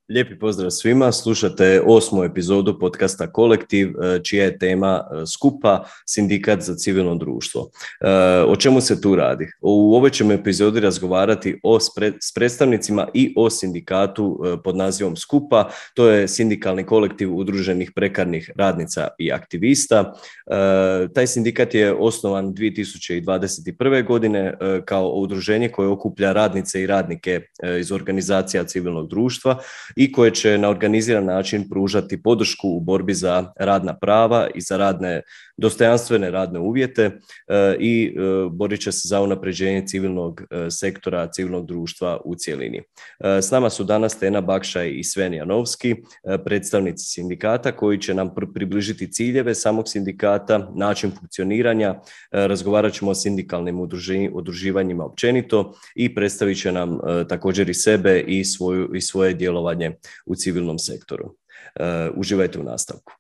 Lijepi pozdrav svima, slušate 8. epizodu podcasta Kolektiv, čija je tema skupa Sindikat za civilno društvo. O čemu se tu radi? U ovoj ćemo epizodi razgovarati s predstavnicima i o sindikatu pod nazivom Skupa. To je sindikalni kolektiv udruženih prekarnih radnica i aktivista. Taj sindikat je osnovan 2021. godine kao udruženje koje okuplja radnice i radnike iz organizacija civilnog društva i koje će na organiziran način pružati podršku u borbi za radna prava i za dostojanstvene radne uvjete i borit će se za unapređenje civilnog sektora, civilnog društva u cjelini. S nama su danas Tena Bakšaj i Sven Janovski, predstavnici sindikata koji će nam približiti ciljeve samog sindikata, način funkcioniranja, razgovarat ćemo o sindikalnim udruživanjima općenito i predstavit će nam također i sebe i svoje djelovanje u civilnom sektoru. Uživajte u nastavku.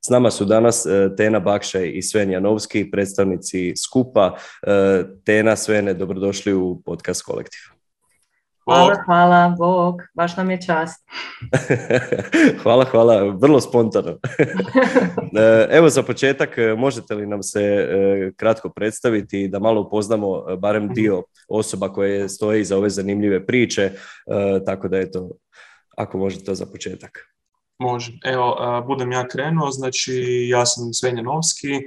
S nama su danas Tena Bakšaj i Sven Janovski, predstavnici Skupa. Tena, Svene, dobrodošli u podcast Kolektiv. Hvala, Bog, baš nam je čast. Hvala, vrlo spontano. Evo za početak, možete li nam se kratko predstaviti da malo upoznamo barem dio osoba koje stoje iza ove zanimljive priče, tako da eto, ako možete to za početak. Može. Evo, budem ja krenuo, znači ja sam Sven Janovski,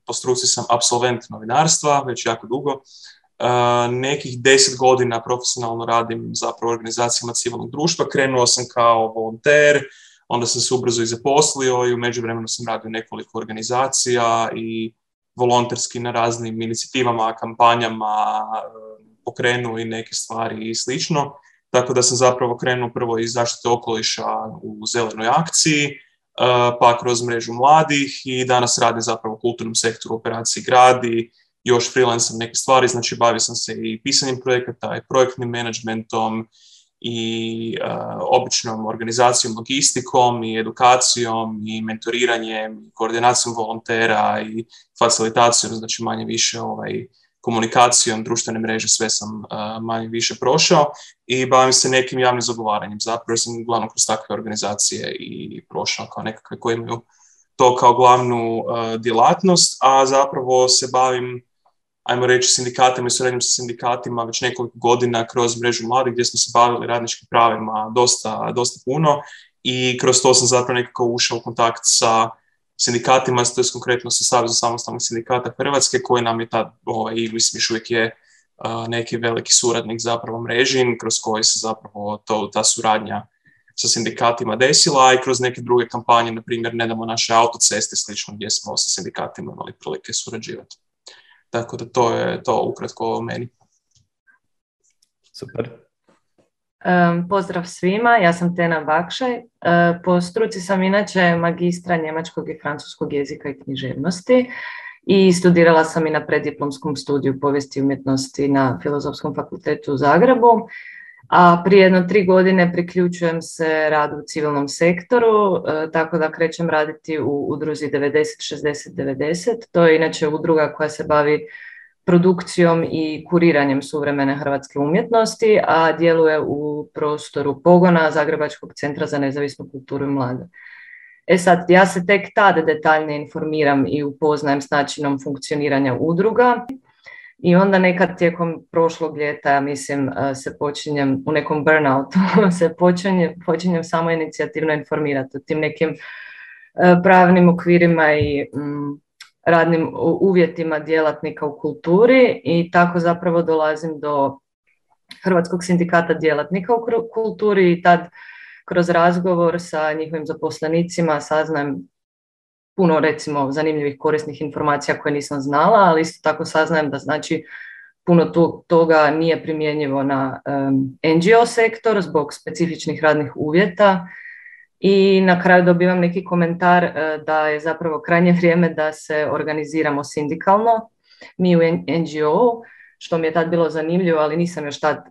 po struci sam apsolvent novinarstva, već jako dugo. Nekih 10 godina profesionalno radim zapravo u organizacijama civilnog društva. Krenuo sam kao volonter, onda sam se ubrzo i zaposlio i u međuvremenu sam radio nekoliko organizacija i volonterski na raznim inicijativama, kampanjama pokrenuo i neke stvari i slično. Tako da sam zapravo krenuo prvo iz zaštite okoliša u zelenoj akciji, pa kroz mrežu mladih i danas radim zapravo u kulturnom sektoru, operaciji Gradi, još freelancem neke stvari, znači bavio sam se i pisanjem projekata i projektnim menadžmentom i običnom organizacijom, logistikom i edukacijom i mentoriranjem, i koordinacijom volontera i facilitacijom, znači manje više komunikacijom, društvene mreže, sve sam manje više prošao i bavim se nekim javnim zagovaranjem. Zapravo sam uglavnom kroz takve organizacije i prošao kao nekakve koje imaju to kao glavnu djelatnost, a zapravo se bavim, ajmo reći, sindikatima i suradnjom sa sindikatima već nekoliko godina kroz mrežu mladih gdje smo se bavili radničkim pravima dosta puno i kroz to sam zapravo nekako ušao u kontakt sa sindikatima, to je konkretno sa Savezom samostalnih sindikata Hrvatske koji nam je tad, mislim još uvijek je neki veliki suradnik zapravo mreži kroz koji se zapravo ta suradnja sa sindikatima desila i kroz neke druge kampanje, na primjer nedamo naše autoceste slično gdje smo sa sindikatima imali prilike surađivati. Tako da to je to ukratko o meni. Super. Pozdrav svima, ja sam Tena Bakšaj. Po struci sam inače magistra njemačkog i francuskog jezika i književnosti i studirala sam i na preddiplomskom studiju povijesti i umjetnosti na Filozofskom fakultetu u Zagrebu. A prije 3 godine priključujem se radu u civilnom sektoru, tako da krećem raditi u udruzi 90-60-90. To je inače udruga koja se bavi produkcijom i kuriranjem suvremene hrvatske umjetnosti, a djeluje u prostoru pogona Zagrebačkog centra za nezavisnu kulturu i mlade. Sad, ja se tek tada detaljnije informiram i upoznajem s načinom funkcioniranja udruga. I onda nekad tijekom prošlog ljeta, mislim, se počinjem u nekom burnoutu, se počinjem samo inicijativno informirati o tim nekim pravnim okvirima i radnim uvjetima djelatnika u kulturi i tako zapravo dolazim do Hrvatskog sindikata djelatnika u kulturi i tad kroz razgovor sa njihovim zaposlenicima saznajem puno, recimo, zanimljivih korisnih informacija koje nisam znala, ali isto tako saznajem da znači puno toga nije primjenjivo na NGO sektor zbog specifičnih radnih uvjeta i na kraju dobivam neki komentar da je zapravo krajnje vrijeme da se organiziramo sindikalno, mi u NGO, što mi je tad bilo zanimljivo, ali nisam još tad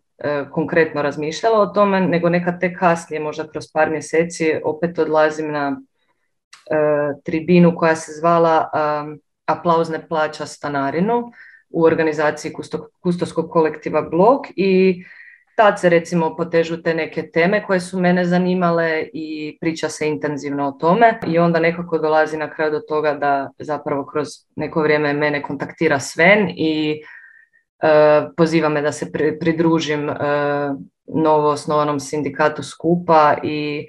konkretno razmišljala o tome, nego nekad tek kasnije, možda kroz par mjeseci, opet odlazim na tribinu koja se zvala Aplauz ne plaća stanarinu u organizaciji kustoskog kolektiva Blok i tad se recimo potežu te neke teme koje su mene zanimale i priča se intenzivno o tome i onda nekako dolazi na kraju do toga da zapravo kroz neko vrijeme mene kontaktira Sven i poziva me da se pridružim novo osnovanom sindikatu Skupa i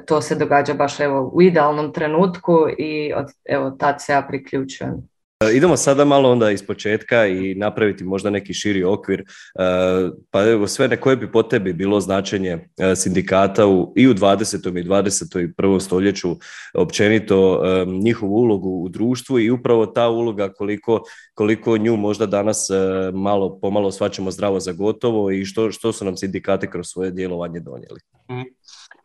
to se događa baš evo u idealnom trenutku i evo tad se ja priključujem. Idemo sada malo onda iz početka i napraviti možda neki širi okvir. Pa evo sve koje bi po tebi bilo značenje sindikata i u 20. i 21. stoljeću, općenito njihovu ulogu u društvu i upravo ta uloga koliko nju možda danas pomalo shvaćamo zdravo za gotovo i što su nam sindikati kroz svoje djelovanje donijeli.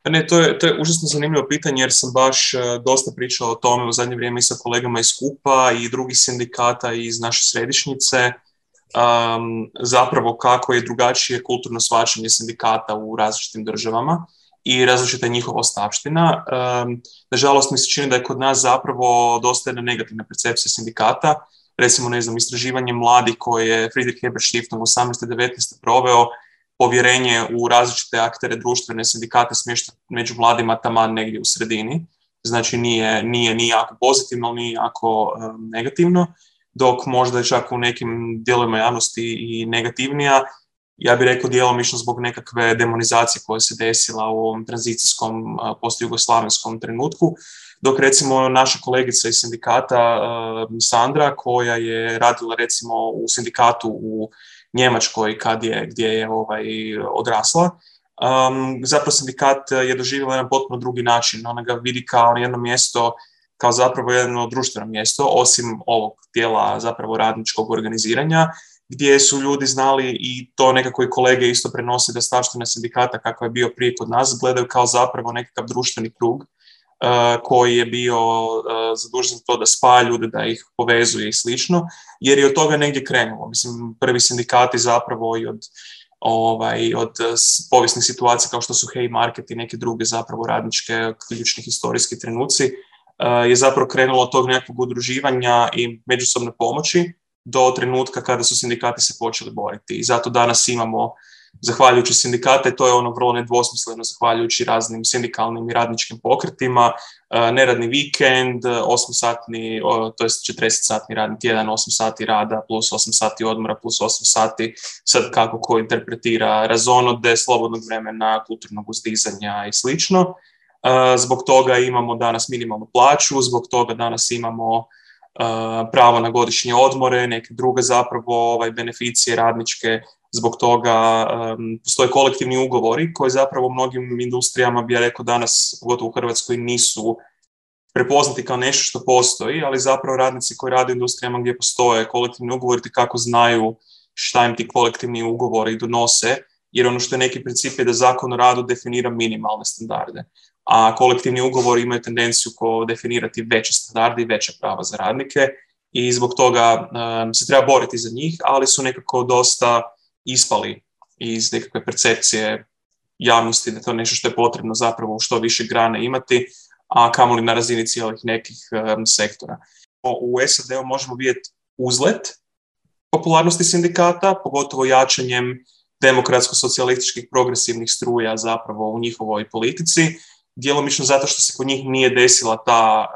Ne, to je užasno zanimljivo pitanje jer sam baš dosta pričao o tome u zadnje vrijeme i sa kolegama iz Skupa i drugih sindikata iz naše središnjice, zapravo kako je drugačije kulturno shvaćanje sindikata u različitim državama i različita njihova ostavština. Nažalost mi se čini da je kod nas zapravo dosta jedna negativna percepcija sindikata. Recimo, ne znam, istraživanje mladih koje je Friedrich Heber Stiftung 18-19 proveo, povjerenje u različite aktere društvene sindikate smješta među mladima taman negdje u sredini. Znači nije jako pozitivno, nije jako negativno, dok možda je čak u nekim dijelovima javnosti i negativnija. Ja bih rekao djelomično zbog nekakve demonizacije koja se desila u ovom tranzicijskom postjugoslavenskom trenutku. Dok recimo naša kolegica iz sindikata Sandra, koja je radila recimo u sindikatu u Njemačkoj gdje je odrasla, zapravo sindikat je doživjela jedan potpuno drugi način. Ona ga vidi kao jedno mjesto, kao zapravo jedno društveno mjesto, osim ovog dijela zapravo radničkog organiziranja, gdje su ljudi znali i to nekako i kolege isto prenose da stavština sindikata kakav je bio prije kod nas gledaju kao zapravo nekakav društveni krug koji je bio zadužen za to da spaja ljude, da ih povezuje i slično, jer je od toga negdje krenulo. Mislim, prvi sindikati zapravo i od povijesnih situacija kao što su Haymarket i neke druge zapravo radničke ključni historijski trenuci je zapravo krenulo od tog nekakvog udruživanja i međusobne pomoći do trenutka kada su sindikati se počeli boriti. I zato danas imamo, zahvaljujući sindikate, to je ono vrlo nedvosmisleno, zahvaljujući raznim sindikalnim i radničkim pokretima, neradni vikend, 8-satni, to je 40-satni radni tjedan, 8 sati rada plus 8 sati odmora plus 8 sati, sad kako ko interpretira razonode, slobodnog vremena, kulturnog uzdizanja i slično. Zbog toga imamo danas minimalnu plaću, zbog toga danas imamo pravo na godišnje odmore, neke druge zapravo beneficije radničke. Zbog toga postoje kolektivni ugovori koji zapravo u mnogim industrijama, bi ja rekao danas, pogotovo u Hrvatskoj, nisu prepoznati kao nešto što postoji, ali zapravo radnici koji rade u industrijama gdje postoje kolektivni ugovori kako znaju šta im ti kolektivni ugovori donose, jer ono što je neki princip je da Zakon o radu definira minimalne standarde, a kolektivni ugovori imaju tendenciju definirati veće standarde i veća prava za radnike i zbog toga se treba boriti za njih, ali su nekako dosta ispali iz nekakve percepcije javnosti da je to nešto što je potrebno zapravo u što više grane imati, a kamoli na razini cijelih nekih sektora. U SAD-u možemo vidjeti uzlet popularnosti sindikata, pogotovo jačanjem demokratsko-socijalističkih progresivnih struja zapravo u njihovoj politici, djelomično zato što se kod njih nije desila ta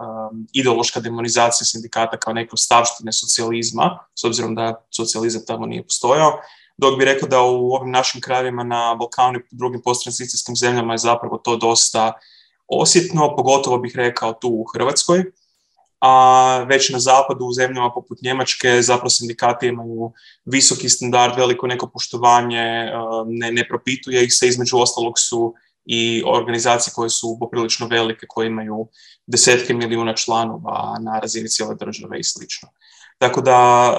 ideološka demonizacija sindikata kao neke ostavštine socijalizma, s obzirom da socijalizam tamo nije postojao, dok bi rekao da u ovim našim krajevima na Balkanu i drugim posttranzicijskim zemljama je zapravo to dosta osjetno, pogotovo bih rekao tu u Hrvatskoj, a već na zapadu u zemljama poput Njemačke zapravo sindikati imaju visoki standard, veliko neko poštovanje, ne propituje ih se, između ostalog su i organizacije koje su poprilično velike, koje imaju desetke milijuna članova na razini cijele države i slično. Tako da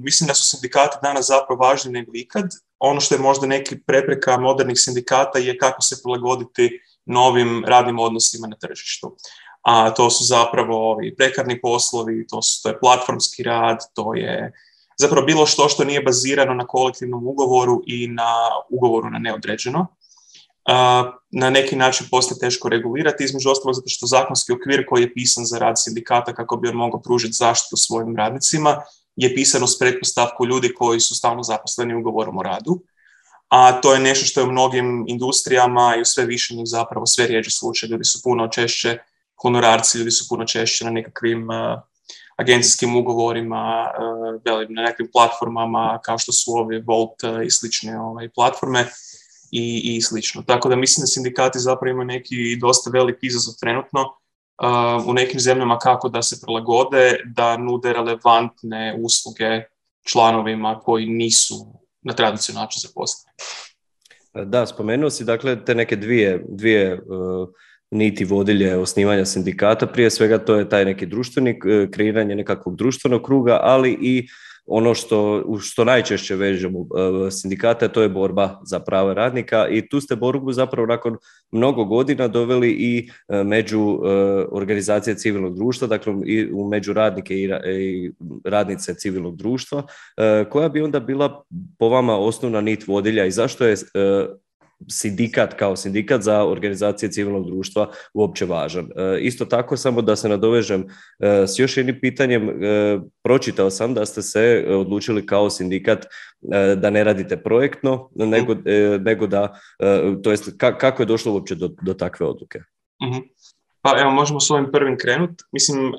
mislim da su sindikati danas zapravo važni nego ikad. Ono što je možda neki prepreka modernih sindikata je kako se prilagoditi novim radnim odnosima na tržištu. A to su zapravo ovi prekarni poslovi, to je platformski rad, to je zapravo bilo što nije bazirano na kolektivnom ugovoru i na ugovoru na neodređeno. na neki način postaje teško regulirati, između ostalog zato što zakonski okvir koji je pisan za rad sindikata kako bi on mogao pružiti zaštitu svojim radnicima je pisan uz pretpostavku ljudi koji su stalno zaposleni ugovorom o radu, a to je nešto što je u mnogim industrijama i u sve više njih zapravo sve rijeđe slučaj. Ljudi su puno češće honorarci, ljudi su puno češće na nekakvim agencijskim ugovorima, na nekim platformama kao što su ovi Volt i slične platforme i slično. Tako da mislim da sindikati zapravo imaju neki dosta veliki izazov trenutno u nekim zemljama kako da se prilagode, da nude relevantne usluge članovima koji nisu na tradicionalni način zaposleni. Da, spomenuo si dakle te neke dvije niti vodilje osnivanja sindikata. Prije svega to je taj neki društveni, kreiranje nekakvog društvenog kruga, ali i ono što najčešće vežemo sindikata, to je borba za prava radnika i tu ste borbu zapravo nakon mnogo godina doveli i među organizacije civilnog društva, dakle i među radnike i radnice civilnog društva. Koja bi onda bila po vama osnovna nit vodilja i zašto je sindikat kao sindikat za organizacije civilnog društva uopće važan? Isto tako, samo da se nadovežem s još jednim pitanjem, pročitao sam da ste se odlučili kao sindikat da ne radite projektno, nego da, to jest kako je došlo uopće do takve odluke? Pa evo, možemo s ovim prvim krenuti. Mislim,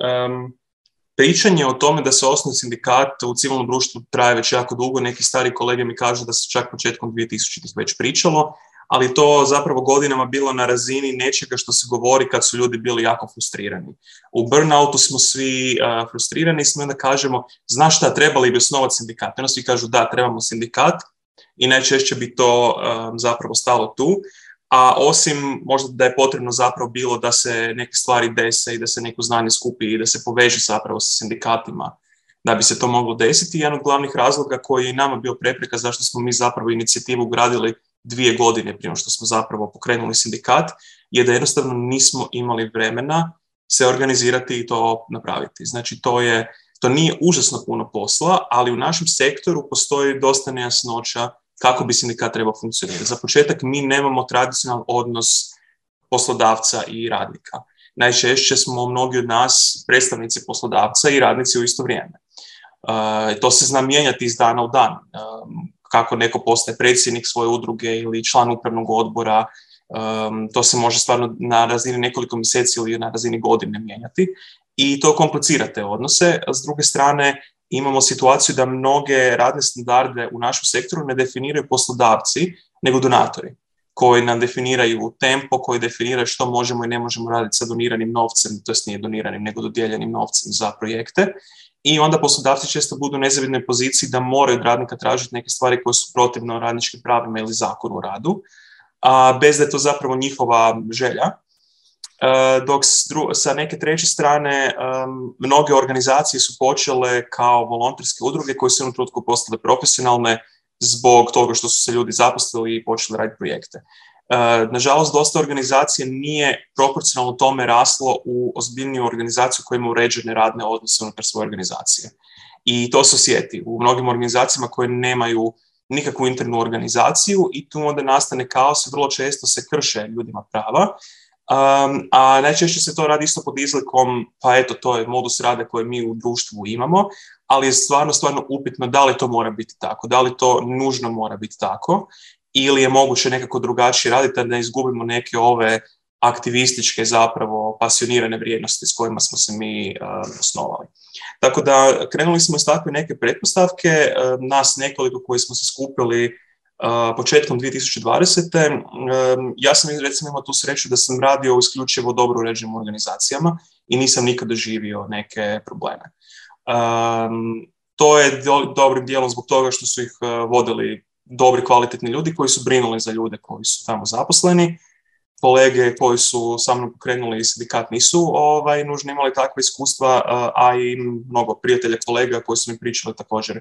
pričanje o tome da se osnuje sindikat u civilnom društvu traje već jako dugo. Neki stari kolege mi kažu da se čak početkom 2000-ih već pričalo, ali to zapravo godinama bilo na razini nečega što se govori kad su ljudi bili jako frustrirani. U burnoutu smo svi frustrirani i onda kažemo, znaš šta, trebali bi osnovati sindikat. Onda svi kažu da, trebamo sindikat i najčešće bi to zapravo stalo tu. A osim možda da je potrebno zapravo bilo da se neke stvari dese i da se neko znanje skupi i da se poveže zapravo sa sindikatima da bi se to moglo desiti. Jedan od glavnih razloga koji je nama bio prepreka zašto smo mi zapravo inicijativu ugradili 2 godine prije što smo zapravo pokrenuli sindikat, je da jednostavno nismo imali vremena se organizirati i to napraviti. Znači to nije užasno puno posla, ali u našem sektoru postoji dosta nejasnoća kako bi sindikat trebao funkcionirati. Za početak mi nemamo tradicionalan odnos poslodavca i radnika. Najčešće smo mnogi od nas predstavnici poslodavca i radnici u isto vrijeme. To se zna mijenjati iz dana u dan. Kako neko postaje predsjednik svoje udruge ili član upravnog odbora, to se može stvarno na razini nekoliko mjeseci ili na razini godine mijenjati i to komplicira te odnose. S druge strane, imamo situaciju da mnoge radne standarde u našem sektoru ne definiraju poslodavci, nego donatori, koji nam definiraju tempo, koji definiraju što možemo i ne možemo raditi sa doniranim novcem, to jest nije doniranim, nego dodijeljenim novcem za projekte. I onda poslodavci često budu u nezavidnoj poziciji da moraju od radnika tražiti neke stvari koje su protivno radničkim pravima ili zakonu o radu, bez da je to zapravo njihova želja. Dok sa neke treće strane mnoge organizacije su počele kao volonterske udruge koje su u jednom trenutku postale profesionalne zbog toga što su se ljudi zaposlili i počeli raditi projekte. Nažalost, dosta organizacija nije proporcionalno tome raslo u ozbiljniju organizaciju koja ima uređene radne odnose unutar svoje organizacije. I to se osjeti u mnogim organizacijama koje nemaju nikakvu internu organizaciju i tu onda nastane kaos i vrlo često se krše ljudima prava. A najčešće se to radi isto pod izlikom, pa eto, to je modus rada koji mi u društvu imamo, ali je stvarno upitno da li to mora biti tako, da li to nužno mora biti tako ili je moguće nekako drugačije raditi da ne izgubimo neke ove aktivističke zapravo pasionirane vrijednosti s kojima smo se mi osnovali. Tako da krenuli smo iz takve neke pretpostavke, nas nekoliko koji smo se skupili početkom 2020. Ja sam recimo imao tu sreću da sam radio isključivo dobro uređenim organizacijama i nisam nikad doživio neke probleme. To je dobrim dijelom zbog toga što su ih vodili dobri, kvalitetni ljudi koji su brinuli za ljude koji su tamo zaposleni. Kolege koji su sa mnom pokrenuli sindikat nisu nužno imali takve iskustva, a i mnogo prijatelja kolega koji su mi pričali također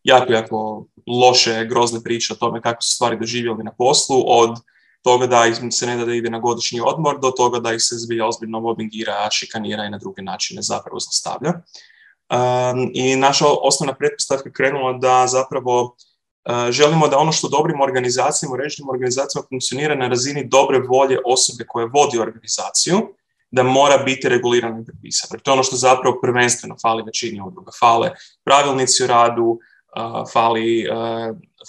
jako loše, grozne priče o tome kako su stvari doživjeli na poslu, od toga da ih se ne da ide na godišnji odmor, do toga da ih se zbilja ozbiljno mobingira, šikanira i na druge načine zapravo zlostavlja. I naša osnovna pretpostavka krenula da zapravo Želimo da ono što dobrim organizacijama, uređenim organizacijama funkcionira na razini dobre volje osobe koje vodi organizaciju, da mora biti regulirano i prepisano. To je ono što zapravo prvenstveno fali većini udruga. Fale pravilnici o radu,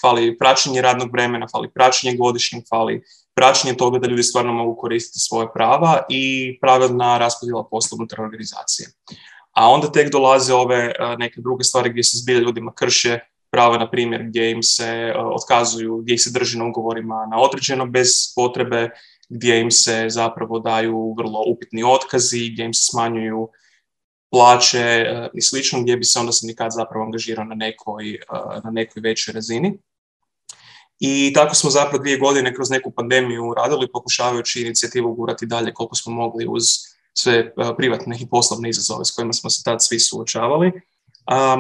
fali praćenje radnog vremena, fali praćenje godišnjeg, fali praćenje toga da ljudi stvarno mogu koristiti svoje prava i pravilna raspodjela posla unutar organizacije. A onda tek dolaze ove neke druge stvari gdje se zbilja ljudima krše prava, na primjer, gdje im se otkazuju, gdje ih se drži na ugovorima na određeno bez potrebe, gdje im se zapravo daju vrlo upitni otkazi, gdje im se smanjuju plaće i slično, gdje bi se onda sindikat zapravo angažirao na nekoj većoj razini. I tako smo zapravo 2 godine kroz neku pandemiju radili, pokušavajući inicijativu gurati dalje koliko smo mogli uz sve privatne i poslovne izazove s kojima smo se tad svi suočavali.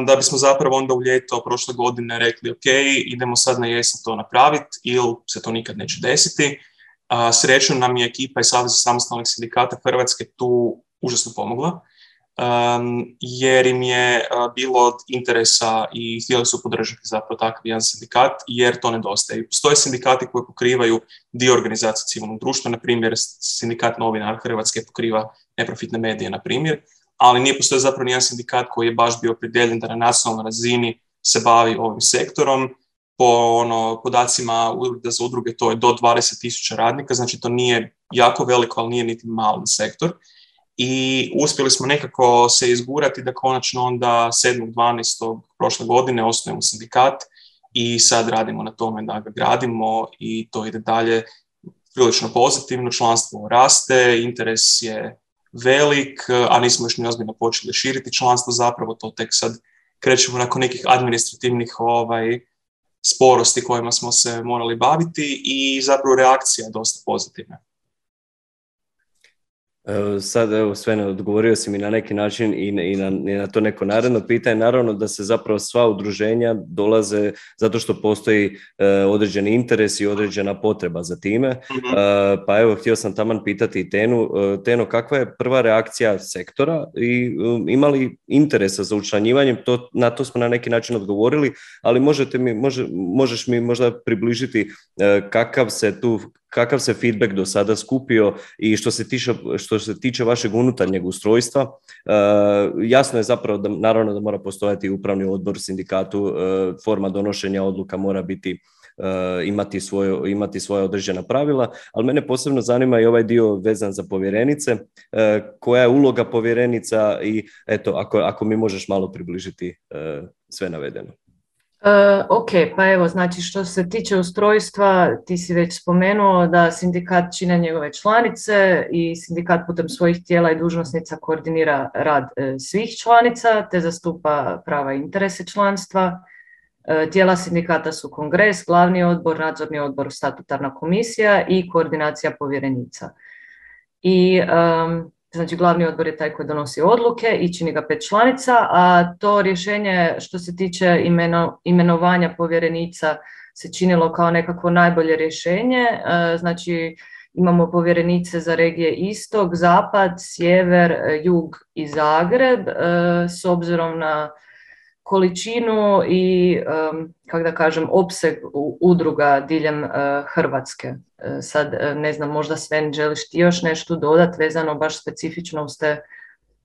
Da bismo zapravo onda u ljeto prošle godine rekli ok, idemo sad na jesen to napraviti ili se to nikad neće desiti. Srećom nam je ekipa iz Saveza samostalnih sindikata Hrvatske tu užasno pomogla, jer im je bilo od interesa i htjeli su podržati zapravo takav jedan sindikat, jer to nedostaje. Postoje sindikati koji pokrivaju dio organizacije civilnog društva, na primjer sindikat novinara Hrvatske pokriva neprofitne medije, na primjer, ali nije postoje zapravo nijedan sindikat koji je baš bio opredjeljen da na nacionalnoj razini se bavi ovim sektorom. Po podacima Ureda za udruge to je do 20.000 radnika, znači to nije jako veliko, ali nije niti mali sektor. I uspjeli smo nekako se izgurati da konačno onda 7.12. prošle godine osnujemo sindikat i sad radimo na tome da ga gradimo i to ide dalje prilično pozitivno, članstvo raste, interes je velik, a nismo još ni ozbiljno počeli širiti članstvo, zapravo to tek sad krećemo nakon nekih administrativnih sporosti kojima smo se morali baviti i zapravo reakcija je dosta pozitivna. Sad, evo, Svene, odgovorio si mi na neki način i na to neko naredno pitanje. Naravno da se zapravo sva udruženja dolaze zato što postoji određeni interes i određena potreba za time. Mm-hmm. Pa evo, htio sam taman pitati i Teno, kakva je prva reakcija sektora i ima li interesa za učlanjivanjem? Na to smo na neki način odgovorili, ali možeš mi možda približiti kakav se feedback do sada skupio i što se tiče vašeg unutarnjeg ustrojstva. Jasno je zapravo da naravno da mora postojati upravni odbor sindikatu, forma donošenja odluka mora biti imati svoje određena pravila, ali mene posebno zanima i ovaj dio vezan za povjerenice. Koja je uloga povjerenica i eto, ako mi možeš malo približiti sve navedeno. Ok, pa evo, znači što se tiče ustrojstva, ti si već spomenuo da sindikat čine njegove članice i sindikat putem svojih tijela i dužnosnica koordinira rad svih članica te zastupa prava i interese članstva. Tijela sindikata su kongres, glavni odbor, nadzorni odbor, statutarna komisija i koordinacija povjerenica. I znači glavni odbor je taj koji donosi odluke i čini ga 5 članica, a to rješenje što se tiče imenovanja povjerenica se činilo kao nekako najbolje rješenje. Znači imamo povjerenice za regije Istok, Zapad, Sjever, Jug i Zagreb s obzirom na količinu i, kako da kažem, opseg udruga diljem Hrvatske. Sad, ne znam, možda Sven, želiš ti još nešto dodati vezano baš specifično uz te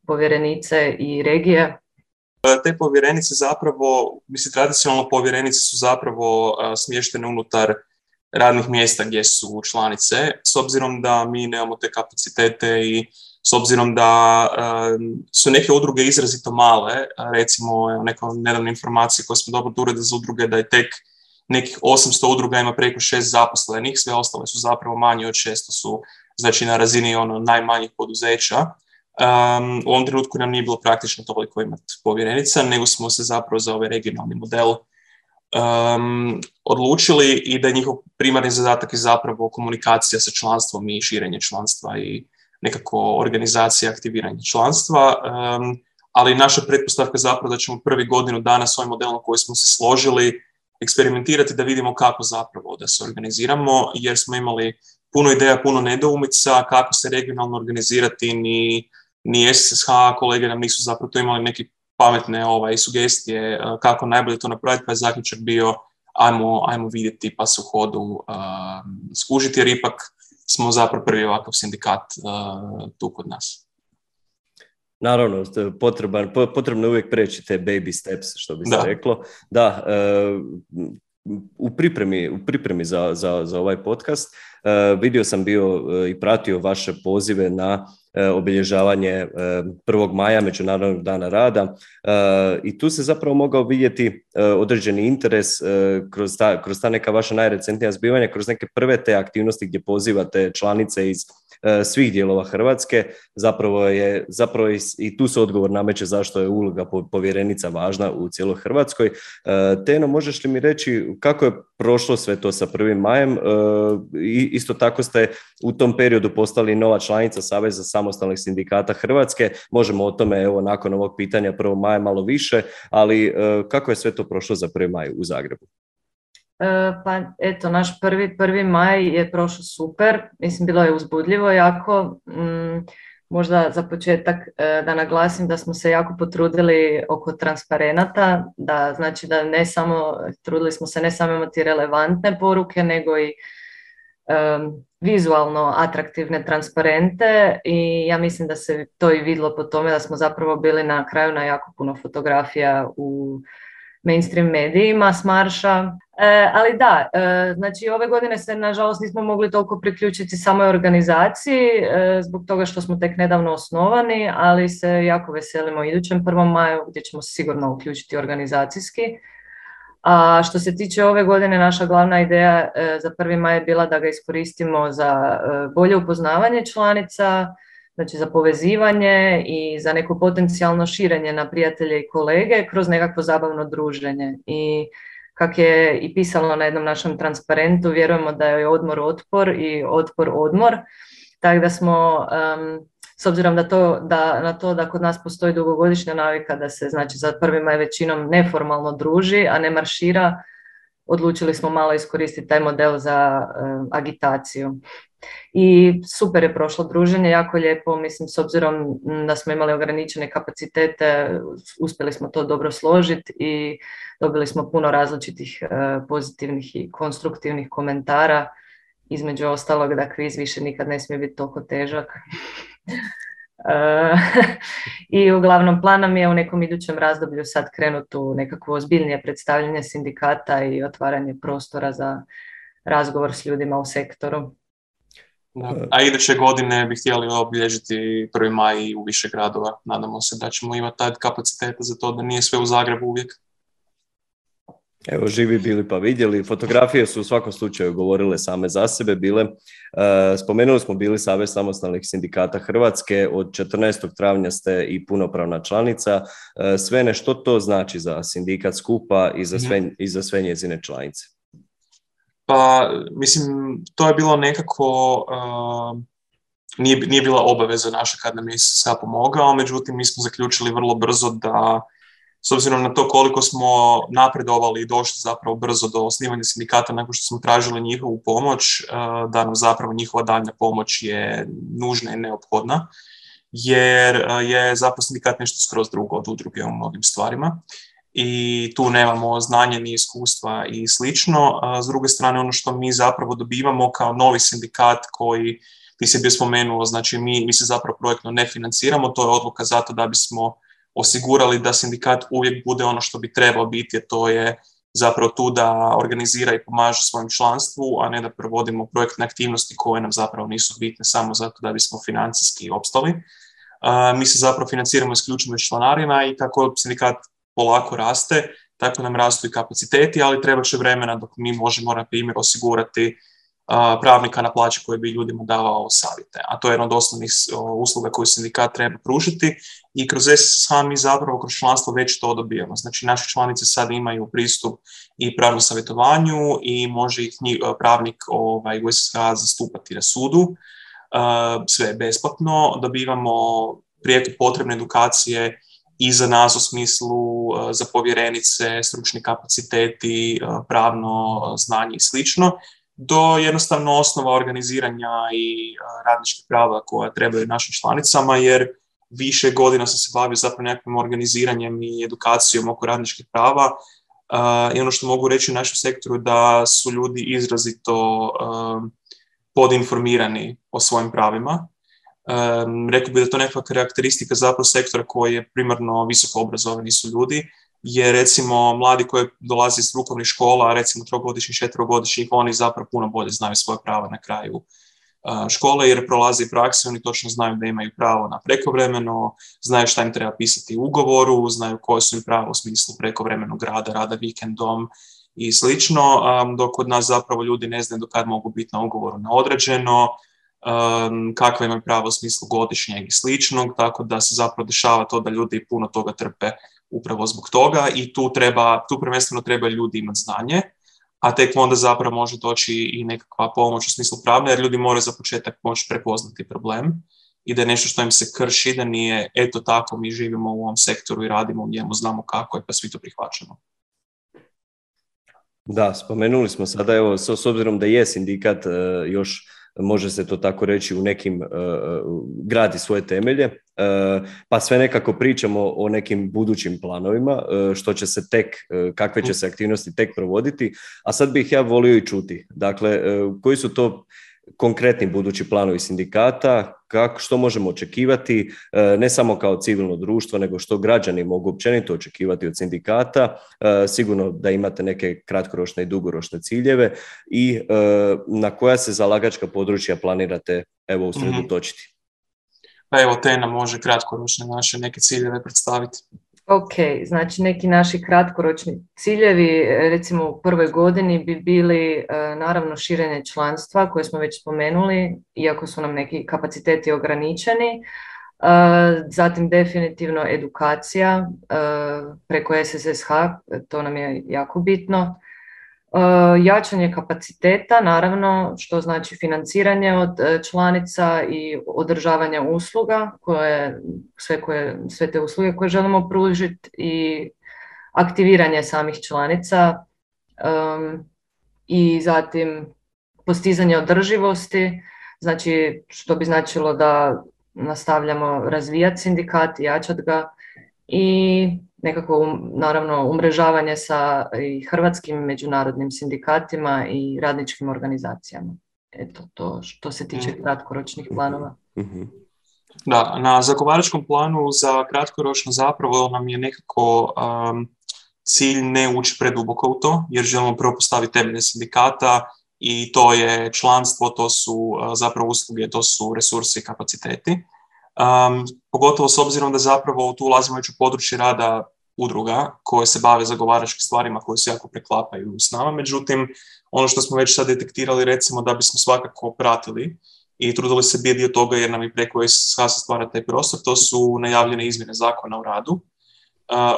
povjerenice i regije? Te povjerenice zapravo, tradicionalno povjerenice su zapravo smještene unutar radnih mjesta gdje su članice, s obzirom da mi nemamo te kapacitete i s obzirom da su neke udruge izrazito male, recimo neka nedavna informacija koju smo dobili od Ureda za udruge da je tek nekih 800 udruga ima preko 6 zaposlenih, sve ostale su zapravo manje od 600, su znači na razini najmanjih poduzeća. U ovom trenutku nam nije bilo praktično toliko imati povjerenica, nego smo se zapravo za ovaj regionalni model odlučili i da je njihov primarni zadatak je zapravo komunikacija sa članstvom i širenje članstva i nekako organizacija, aktiviranje članstva, ali naša pretpostavka je zapravo da ćemo prvi godinu dana s ovim modelom koji smo se složili eksperimentirati da vidimo kako zapravo da se organiziramo, jer smo imali puno ideja, puno nedoumica kako se regionalno organizirati, ni SSH kolege nam nisu zapravo to imali neke pametne sugestije kako najbolje to napraviti, pa je zaključak bio ajmo vidjeti pa se u hodu skužiti, jer ipak smo zapravo prvi ovakav sindikat tu kod nas. Naravno, potrebno je uvijek preći te baby steps, što bi se reklo. Da, u pripremi za ovaj podcast vidio sam bio i pratio vaše pozive na obilježavanje 1. maja, Međunarodnog dana rada, i tu se zapravo mogao vidjeti određeni interes kroz ta neka vaša najrecentnija zbivanja, kroz neke prve te aktivnosti gdje pozivate članice iz svih dijelova Hrvatske. Zapravo i tu se odgovor nameće zašto je uloga povjerenica važna u cijeloj Hrvatskoj. Teno, možeš li mi reći kako je prošlo sve to sa 1. majem? Isto tako ste u tom periodu postali nova članica Saveza samostalnih sindikata Hrvatske. Možemo o tome, evo, nakon ovog pitanja 1. maja malo više, ali kako je sve to prošlo za 1. maj u Zagrebu? Pa eto, naš 1. maj je prošao super, mislim bilo je uzbudljivo jako, možda za početak da naglasim da smo se jako potrudili oko transparenata, da znači da ne samo, trudili smo se ne samo imati relevantne poruke, nego i vizualno atraktivne transparente, i ja mislim da se to i vidjelo po tome da smo zapravo bili na kraju na jako puno fotografija u mainstream medijima s marša. Ali da, znači ove godine se nažalost nismo mogli toliko priključiti samoj organizaciji zbog toga što smo tek nedavno osnovani, ali se jako veselimo idućem 1. maju gdje ćemo se sigurno uključiti organizacijski. A što se tiče ove godine, naša glavna ideja za 1. maj je bila da ga iskoristimo za bolje upoznavanje članica, znači za povezivanje i za neko potencijalno širenje na prijatelje i kolege kroz nekakvo zabavno druženje. I kak je i pisalo na jednom našem transparentu, vjerujemo da je odmor otpor i otpor odmor, tako da smo, s obzirom na to da kod nas postoji dugogodišnja navika da se znači za 1. maj većinom neformalno druži, a ne maršira, odlučili smo malo iskoristiti taj model za agitaciju. I super je prošlo druženje, jako lijepo, mislim, s obzirom da smo imali ograničene kapacitete, uspjeli smo to dobro složiti i dobili smo puno različitih pozitivnih i konstruktivnih komentara, između ostalog da kviz više nikad ne smije biti toliko težak. I uglavnom plan nam je u nekom idućem razdoblju sad krenuti u nekakvo ozbiljnije predstavljanje sindikata i otvaranje prostora za razgovor s ljudima u sektoru. Da. A iduće godine bi htjeli obilježiti 1. maj u više gradova. Nadamo se da ćemo imati taj kapaciteta za to, da nije sve u Zagrebu uvijek. Evo, živi bili pa vidjeli. Fotografije su u svakom slučaju govorile same za sebe bile. Spomenuli smo bili Savez samostalnih sindikata Hrvatske. Od 14. travnja ste i punopravna članica. Svene, što to znači za sindikat skupa i za sve njezine članice? Pa, mislim, to je bilo nekako, nije bila obaveza naša kad nam je SSH pomogao, međutim, mi smo zaključili vrlo brzo da, s obzirom na to koliko smo napredovali i došli zapravo brzo do osnivanja sindikata nakon što smo tražili njihovu pomoć, da nam zapravo njihova daljnja pomoć je nužna i neophodna, jer je zapravo sindikat nešto skroz drugo od udruge u mnogim stvarima. I tu nemamo znanje ni iskustva i slično. S druge strane, ono što mi zapravo dobivamo kao novi sindikat koji ti se bio spomenuo, znači mi se zapravo projektno ne financiramo, to je odluka zato da bismo osigurali da sindikat uvijek bude ono što bi trebao biti, jer to je zapravo tu da organizira i pomaže svojem članstvu, a ne da provodimo projektne aktivnosti koje nam zapravo nisu bitne samo zato da bismo financijski opstali. Mi se zapravo financiramo isključivo iz članarina i kako sindikat polako raste, tako nam rastu i kapaciteti, ali treba će vremena dok mi možemo, na primjer, osigurati pravnika na plaći koji bi ljudima davao savjete. A to je jedna od osnovnih usluga koju sindikat treba pružiti i kroz SSH mi zapravo kroz članstvo već to dobijamo. Znači, naše članice sad imaju pristup i pravnom savjetovanju i može ih pravnik u SSH zastupati na sudu. Sve je besplatno, dobivamo prijeko potrebne edukacije i za nas u smislu za povjerenice, stručni kapaciteti, pravno znanje i slično, do jednostavno osnova organiziranja i radničkih prava koja trebaju našim članicama, jer više godina sam se bavio zapravo nekakvim organiziranjem i edukacijom oko radničkih prava, I ono što mogu reći u našem sektoru da su ljudi izrazito podinformirani o svojim pravima. Rekao bih da to nekakva karakteristika zapravo sektora koji je primarno visoko obrazovani su ljudi, jer recimo mladi koji dolaze iz strukovnih škola, recimo 3-godišnjih, 4-godišnjih, oni zapravo puno bolje znaju svoje prava na kraju škole jer prolaze i prakse, oni točno znaju da imaju pravo na prekovremeno, znaju šta im treba pisati u ugovoru, znaju koje su im prava u smislu prekovremenog rada vikendom i slično, dok kod nas zapravo ljudi ne znaju do kad mogu biti na ugovoru na određeno, kakva imaju prava u smislu godišnjeg i sličnog, tako da se zapravo dešava to da ljudi puno toga trpe upravo zbog toga i tu prvenstveno treba ljudi imati znanje, a tek onda zapravo može doći i nekakva pomoć u smislu pravne, jer ljudi moraju za početak moći prepoznati problem i da je nešto što im se krši, da nije eto tako mi živimo u ovom sektoru i radimo u njemu, znamo kako je pa svi to prihvaćamo. Da, spomenuli smo sada, evo, s obzirom da je sindikat još, može se to tako reći, u nekim gradi svoje temelje, pa sve nekako pričamo o nekim budućim planovima, što će se tek, kakve će se aktivnosti tek provoditi, a sad bih ja volio i čuti, dakle, koji su to konkretni budući planovi sindikata, što možemo očekivati, ne samo kao civilno društvo, nego što građani mogu općenito očekivati od sindikata, sigurno da imate neke kratkoročne i dugoročne ciljeve i na koja se zalagačka područja planirate usredotočiti. Pa evo, Tena može kratkoročne naše neke ciljeve predstaviti. Ok, znači neki naši kratkoročni ciljevi, recimo u prvoj godini bi bili naravno širenje članstva koje smo već spomenuli, iako su nam neki kapaciteti ograničeni. Zatim definitivno edukacija preko SSSH, to nam je jako bitno. Jačanje kapaciteta, naravno, što znači financiranje od članica i održavanje usluga, sve te usluge koje želimo pružiti i aktiviranje samih članica i zatim postizanje održivosti, znači što bi značilo da nastavljamo razvijati sindikat, jačati ga i nekako naravno umrežavanje sa i hrvatskim međunarodnim sindikatima i radničkim organizacijama. Eto, to što se tiče kratkoročnih planova. Da, na zagovaračkom planu za kratkoročno zapravo nam je nekako cilj ne ući preduboko u to, jer želimo prvo postaviti temelje sindikata i to je članstvo, to su zapravo usluge, to su resursi i kapaciteti. Pogotovo s obzirom da zapravo tu ulazimo već u područje rada udruga koje se bave zagovaračkim stvarima koje se jako preklapaju s nama. Međutim, ono što smo već sad detektirali, recimo da bismo svakako pratili i trudili se biti dio toga jer nam i preko SSH se stvara taj prostor, to su najavljene izmjene zakona o radu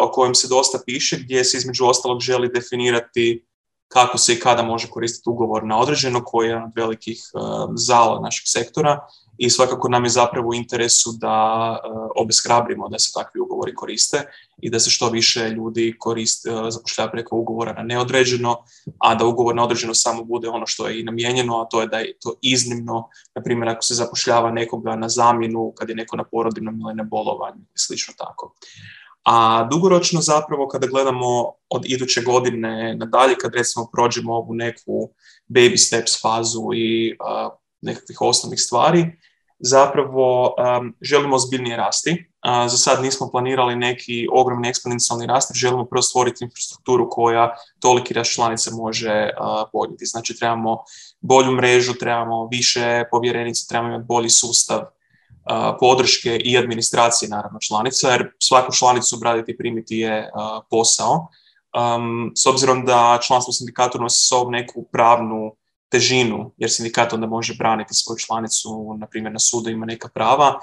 o kojem se dosta piše, gdje se između ostalog želi definirati kako se i kada može koristiti ugovor na određeno, koji je jedan od velikih zala našeg sektora i svakako nam je zapravo u interesu da obeshrabrimo da se takvi ugovori koriste i da se što više ljudi zapošljava preko ugovora na neodređeno, a da ugovor na određeno samo bude ono što je i namijenjeno, a to je da je to iznimno, na primjer ako se zapošljava nekoga na zamjenu kad je neko na porodiljnom ili na bolovanju i slično tako. A dugoročno zapravo kada gledamo od iduće godine nadalje, kad recimo prođemo ovu neku baby steps fazu i nekakvih osnovnih stvari, zapravo želimo ozbiljnije rasti. Za sad nismo planirali neki ogromni eksponencijalni rast, želimo prvo stvoriti infrastrukturu koja toliki rast članica može podnijeti. Znači trebamo bolju mrežu, trebamo više povjerenica, trebamo imati bolji sustav podrške i administracije naravno članica, jer svaku članicu obraditi i primiti je posao. S obzirom da članstvo u sindikatu nosi sobom neku pravnu težinu, jer sindikat onda može braniti svoju članicu, na primjer na sudu ima neka prava,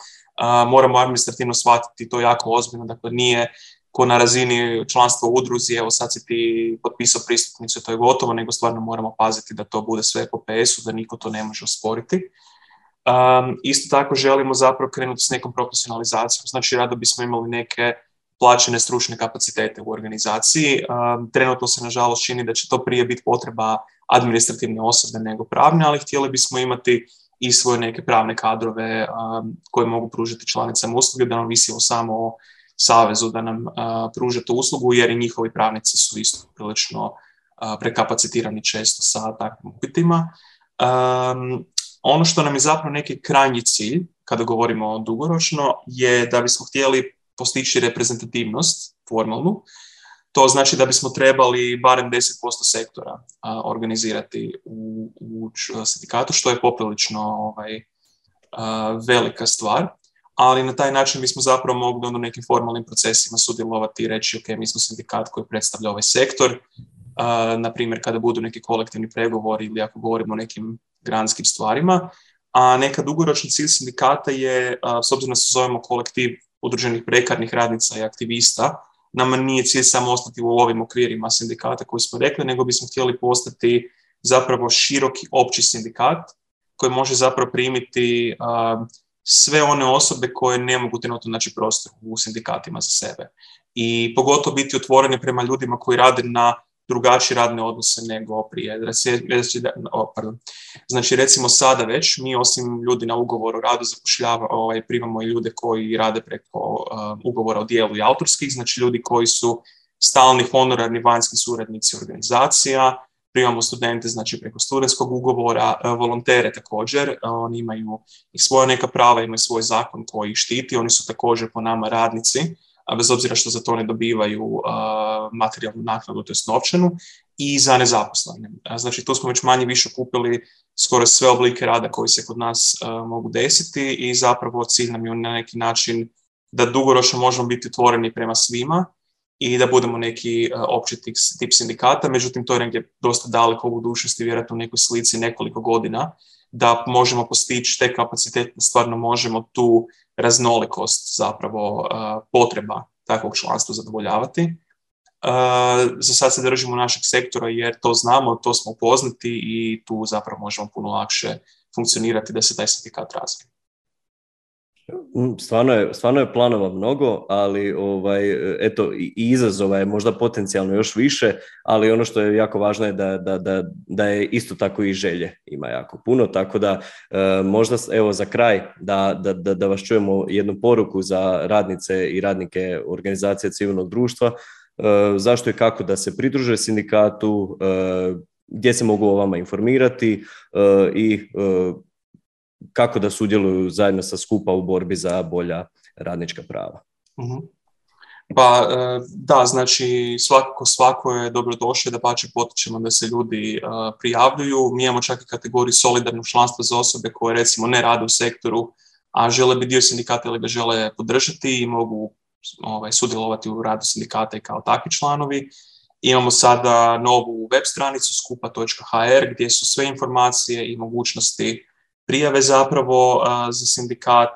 moramo administrativno shvatiti to jako ozbiljno, dakle nije ko na razini članstva u udruzi, evo sad si ti potpisao pristupnicu i to je gotovo, nego stvarno moramo paziti da to bude sve po PS-u, da niko to ne može osporiti. Isto tako želimo zapravo krenuti s nekom profesionalizacijom, znači rado bismo imali neke plaćene stručne kapacitete u organizaciji. Trenutno se nažalost čini da će to prije biti potreba administrativne osobe nego pravne, ali htjeli bismo imati i svoje neke pravne kadrove koje mogu pružiti članicama usluge, da nam visimo samo o savezu da nam pruže tu uslugu, jer i njihovi pravnici su isto prilično prekapacitirani često sa takvim upitima. Ono što nam je zapravo neki krajnji cilj, kada govorimo dugoročno, je da bismo htjeli postići reprezentativnost formalnu. To znači da bismo trebali barem 10% sektora organizirati u sindikatu, što je poprilično velika stvar, ali na taj način bismo zapravo mogli u nekim formalnim procesima sudjelovati i reći ok, mi smo sindikat koji predstavlja ovaj sektor, na primjer kada budu neki kolektivni pregovori ili ako govorimo o nekim granskim stvarima, a neka dugoročni cilj sindikata je, s obzirom da se zovemo kolektiv udruženih prekarnih radnica i aktivista, nama nije cilj samo ostati u ovim okvirima sindikata koji smo rekli, nego bismo htjeli postati zapravo široki opći sindikat koji može zapravo primiti sve one osobe koje ne mogu trenutno naći prostor u sindikatima za sebe. I pogotovo biti otvoreni prema ljudima koji rade na drugačije radne odnose nego prije. Znači recimo sada već mi osim ljudi na ugovoru o radu primamo i ljude koji rade preko ugovora o djelu i autorskih, znači ljudi koji su stalni honorarni vanjski suradnici organizacija, primamo studente znači preko studentskog ugovora, volontere također, oni imaju i svoja neka prava, imaju svoj zakon koji ih štiti, oni su također po nama radnici, bez obzira što za to ne dobivaju materijalnu naknadu, to jest novčanu, i za nezaposlene. Znači tu smo već manje više kupili skoro sve oblike rada koji se kod nas mogu desiti i zapravo cilj nam je na neki način da dugoročno možemo biti otvoreni prema svima i da budemo neki opći tip sindikata, međutim to je negdje dosta daleko u budućnosti, vjerojatno u nekoj slici nekoliko godina, da možemo postići te kapacitete, stvarno možemo tu raznolikost zapravo potreba takvog članstva zadovoljavati. Za sad se držimo našeg sektora jer to znamo, to smo upoznati i tu zapravo možemo puno lakše funkcionirati da se taj sindikat razvije. Stvarno je planova mnogo, ali eto, i izazova je možda potencijalno još više, ali ono što je jako važno je da je isto tako i želje ima jako puno, tako da možda evo za kraj da vas čujemo jednu poruku za radnice i radnike organizacije civilnog društva, zašto i kako da se pridruže sindikatu, gdje se mogu o vama informirati i kako da sudjeluju zajedno sa skupa u borbi za bolja radnička prava. Pa da, znači svako je dobrodošao, da pače potičemo da se ljudi prijavljuju. Mi imamo čak i kategoriju solidarnog članstva za osobe koje recimo ne rade u sektoru, a žele biti dio sindikata ili ga žele podržati i mogu sudjelovati u radu sindikata i kao takvi članovi. Imamo sada novu web stranicu skupa.hr gdje su sve informacije i mogućnosti prijave zapravo za sindikat.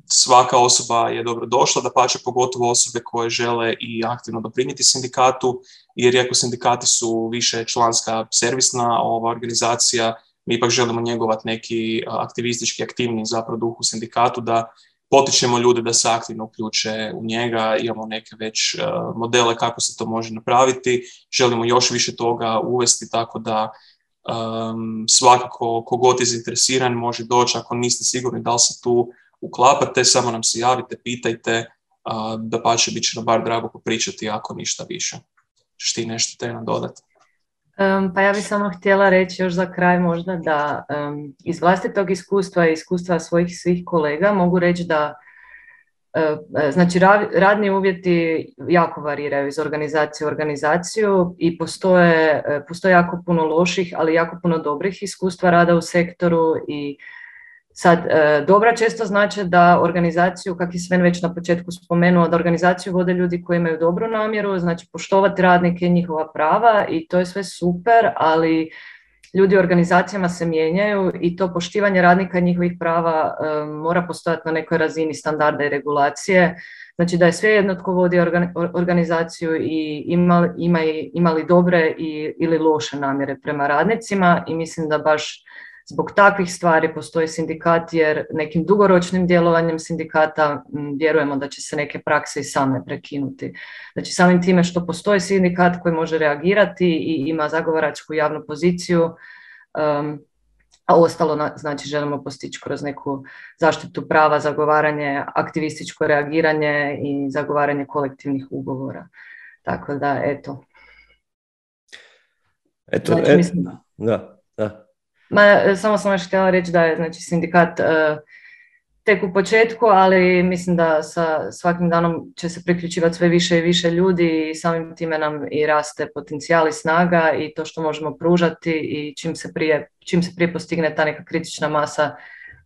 Svaka osoba je dobro došla, dapače pogotovo osobe koje žele i aktivno doprinijeti sindikatu, jer iako sindikati su više članska servisna organizacija, mi ipak želimo njegovati neki aktivistički aktivni zapravo duh u sindikatu, da potičemo ljude da se aktivno uključe u njega, imamo neke već modele kako se to može napraviti, želimo još više toga uvesti, tako da svakako kogod je zainteresiran može doći, ako niste sigurni da li se tu uklapate, samo nam se javite, pitajte, dapače bit će nam bar drago popričati ako ništa više. Što ti nešto te nam dodati? Pa ja bih samo htjela reći još za kraj možda da iz vlastitog iskustva i iskustva svojih svih kolega mogu reći da znači radni uvjeti jako variraju iz organizacije u organizaciju i postoje jako puno loših, ali jako puno dobrih iskustva rada u sektoru i sad dobra često znači da organizaciju, kako je Sven već na početku spomenuo, da organizaciju vode ljudi koji imaju dobru namjeru, znači poštovati radnike i njihova prava i to je sve super, ali ljudi u organizacijama se mijenjaju i to poštivanje radnika i njihovih prava mora postojati na nekoj razini standarda i regulacije. Znači da je svejedno tko vodi organizaciju i ima li dobre ili loše namjere prema radnicima i mislim da baš zbog takvih stvari postoji sindikat jer nekim dugoročnim djelovanjem sindikata vjerujemo da će se neke prakse i same prekinuti. Znači samim time što postoji sindikat koji može reagirati i ima zagovaračku javnu poziciju, a ostalo znači želimo postići kroz neku zaštitu prava, zagovaranje, aktivističko reagiranje i zagovaranje kolektivnih ugovora. Tako da, eto. Znači, mislim, da. Samo sam još htjela reći da je znači, sindikat tek u početku, ali mislim da sa svakim danom će se priključivati sve više i više ljudi i samim time nam i raste potencijal i snaga i to što možemo pružati i čim se prije postigne ta neka kritična masa,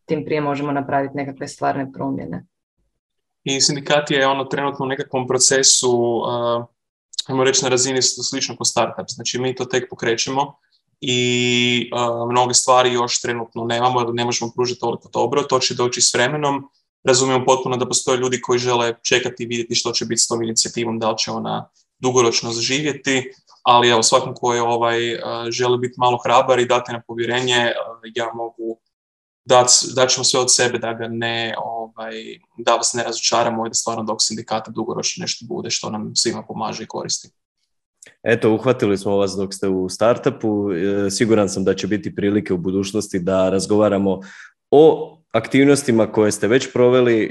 tim prije možemo napraviti nekakve stvarne promjene. I sindikat je trenutno u nekakvom procesu, ajmo reći na razini slično kao startup, znači mi to tek pokrećemo i mnoge stvari još trenutno nemamo ili ne možemo pružiti toliko dobro, to će doći s vremenom. Razumijemo potpuno da postoje ljudi koji žele čekati i vidjeti što će biti s tom inicijativom, da li će ona dugoročno zaživjeti, ali evo, svakom koji želi biti malo hrabar i dati na povjerenje, ja mogu dat ćemo sve od sebe da ga da vas ne razočaramo i da stvarno dok sindikata dugoročno nešto bude što nam svima pomaže i koristi. Eto, uhvatili smo vas dok ste u startupu. Siguran sam da će biti prilike u budućnosti da razgovaramo o aktivnostima koje ste već proveli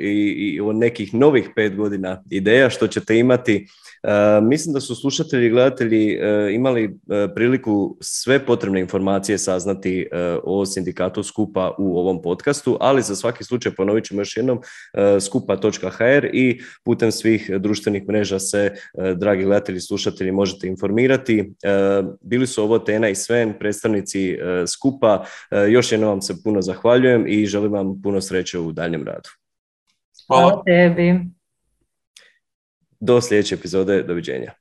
i o nekih novih 5 godina ideja što ćete imati. Mislim da su slušatelji i gledatelji imali priliku sve potrebne informacije saznati o sindikatu Skupa u ovom podcastu, ali za svaki slučaj ponovit ćemo još jednom skupa.hr i putem svih društvenih mreža se, dragi gledatelji i slušatelji, možete informirati. Bili su ovo Tena i Sven, predstavnici Skupa. Još jednom vam se puno zahvaljujem i želim vam puno sreće u daljem radu. Hvala tebi. Do sljedeće epizode, doviđenja.